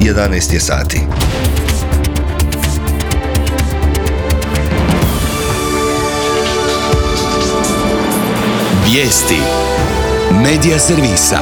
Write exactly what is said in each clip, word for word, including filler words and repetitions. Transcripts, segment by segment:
jedanaest je sati. Vijesti Medija servisa.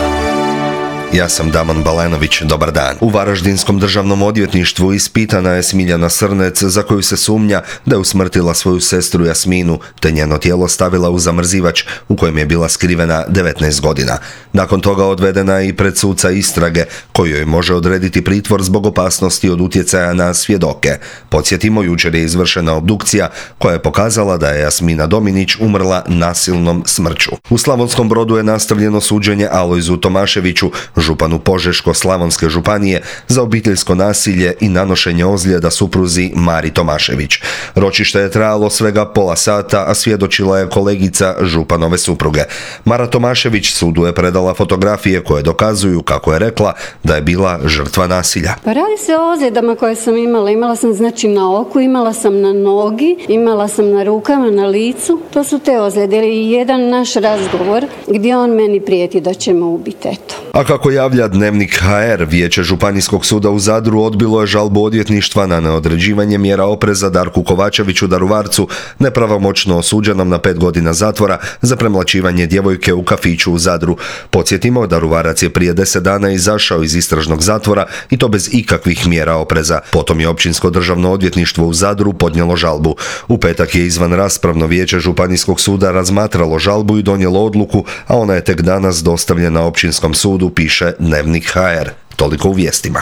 Ja sam Damon Balenović, dobar dan. U Varaždinskom državnom odvjetništvu ispitana je Smiljana Srnec, za koju se sumnja da je usmrtila svoju sestru Jasminu, te njeno tijelo stavila u zamrzivač u kojem je bila skrivena devetnaest godina. Nakon toga odvedena je i pred suca istrage, koji joj može odrediti pritvor zbog opasnosti od utjecaja na svjedoke. Podsjetimo, jučer je izvršena obdukcija koja je pokazala da je Jasmina Dominić umrla nasilnom smrću. U Slavonskom Brodu je nastavljeno suđenje Alojzu Tomaševiću, županu Požeško-slavonske županije, za obiteljsko nasilje i nanošenje ozljeda supruzi Mari Tomašević. Ročište je trajalo svega pola sata, a svjedočila je kolegica županove supruge. Mara Tomašević sudu je predala fotografije koje dokazuju, kako je rekla, da je bila žrtva nasilja. Pa radi se o ozljedama koje sam imala. Imala sam znači na oku, imala sam na nogi, imala sam na rukama, na licu. To su te ozljede. I jedan naš razgovor gdje on meni prijeti da će me ubiti, eto. A kako javlja Dnevnik ha er, Vijeće Županijskog suda u Zadru odbilo je žalbu odvjetništva na neodređivanje mjera opreza Darku Kovačeviću Daruvarcu, nepravomoćno osuđenom na pet godina zatvora za premlaćivanje djevojke u kafiću u Zadru. Podsjetimo, Daruvarac je prije deset dana izašao iz istražnog zatvora i to bez ikakvih mjera opreza. Potom je Općinsko državno odvjetništvo u Zadru podnijelo žalbu. U petak je izvan raspravno Vijeće Županijskog suda razmatralo žalbu i donijelo odluku, a ona je tek danas dostavljena Općinskom sudu, piše Dnevnik ha er. Toliko u vijestima.